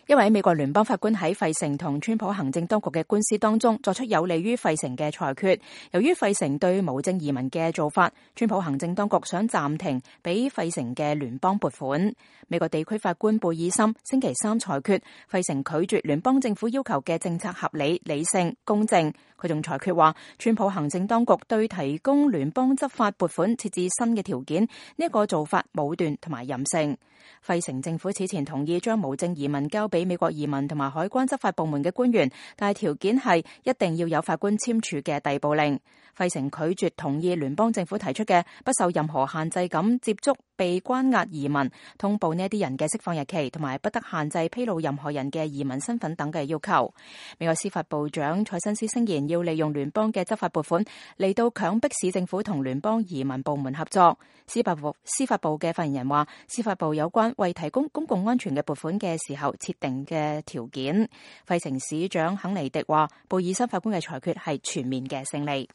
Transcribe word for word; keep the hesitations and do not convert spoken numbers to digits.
一位美國聯邦法官喺費城同川普行政當局嘅官司當中作出有利於費城嘅裁決。由於費城對無證移民嘅做法，川普行政當局想暫停俾費城嘅聯邦撥款。美國地區法官貝爾森星期三裁決，費城拒絕聯邦政府要求嘅政策合理、理性、公正。佢仲裁決話，川普行政當局對提供聯邦執法撥款設置新嘅條件，呢一個做法武斷同埋任性。費城政府此前同意將無證移民交俾美國移民同埋海關執法部門嘅官員，但係條件係一定要有法官簽署嘅逮捕令。費城拒絕同意聯邦政府提出嘅不受任何限制咁接觸被關押移民，通報呢一啲人嘅釋放日期，同埋不得限制披露任何人嘅移民身份等嘅要求。美國司法部長蔡新斯聲言要利用聯邦嘅執法撥款嚟到強迫市政府同聯邦移民部門合作。司法部司法部嘅發言人話，司法部有關為提供公共安全嘅撥款嘅時候設定嘅條件。費城市長肯尼迪話，貝爾森法官嘅裁決係全面嘅勝利。